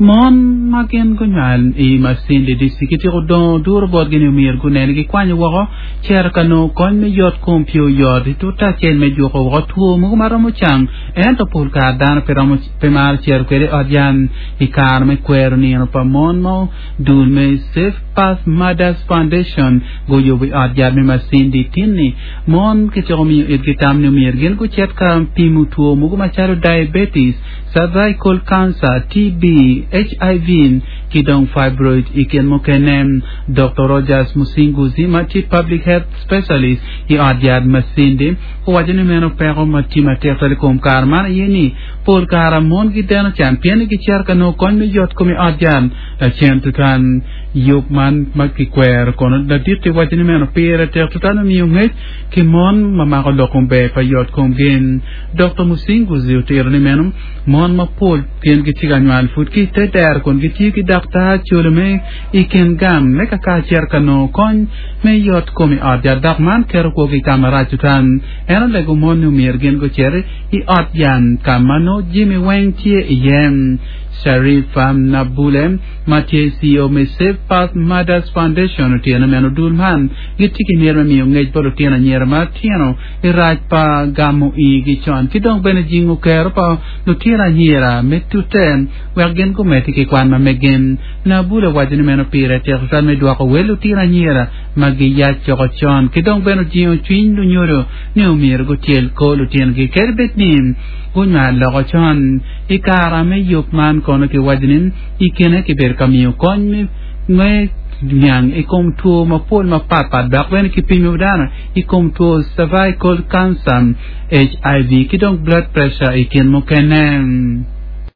Mon ma gin gunywal i Masindi District kityeko dongo duro botgi ni omyero gunen ni gikwanyo woko cito ka nongo kony me yot kom pi oyot i tute acel me juko woko two mogo ma romo cang ento pol kare dano pe romo pe maro cito kwede i ot yat i kare me kwero nino pa mon mo dul me Safe Path Mothers Foundation guyubo i ot yat me Masindi tin-ni mon kityeko miyo itgi tam ni omyero gin gucit ka pimo two mogo macalo diabetes cervical cancer, TB, HIV, ki dong fibroid i kin mukene. Doktor Rogers Musinguzi ma tye public health specialist i ot yat Masindi owaco ni meno peko ma tye matek twal i kom kare man aye ni pol kare mon gideno can pien ni gicito ka nongo kony me yot kom i ot yat lacen tutwal. Yub man ma kikwero kono ladit-ti waco ni meno pire tek tutwal me miyo ngec ki mon ma mako lok kom ber pa yot komgi. Dokta Musinguzi otito ni meno mon mapol gin gitye ka nywal pud ki i te dero kun gitiyo ki daktar colo me i kin gang me ka ka cito ka nongo kony me yot kom i ot yat dok man keto kwogi ka marac tutwal. En olego mon ni omyero gin gucit i ot yat ka ma nongo jami weng tye iye. Sharifa Nabule ma tye CEO me Safe Path Mothers Foundation otito ni meno dul man gitye ki myero me miyo ngec bot lutino anyira matino i rac pa gamo igi con ki dong bene jingo kero pa lutino anyira me tute wek gin gumedde ki kwan ma meggi. Nabul owaco ni meno pire tek tutwal me dwoko wel lutino anyira ma giyac coko con ki dong bene ojingo cwiny lunyodo ni omyero gutyel kor lutinogi kadi bed ni gunywal loko con. I kare me yub man kono kiwaco ni i kine kibedo ka miyo kony me niang i kom two mapol mapatpat dok bene kipimo dano i kom two cervical cancer, HIV ki dong blood pressure i kin mukene.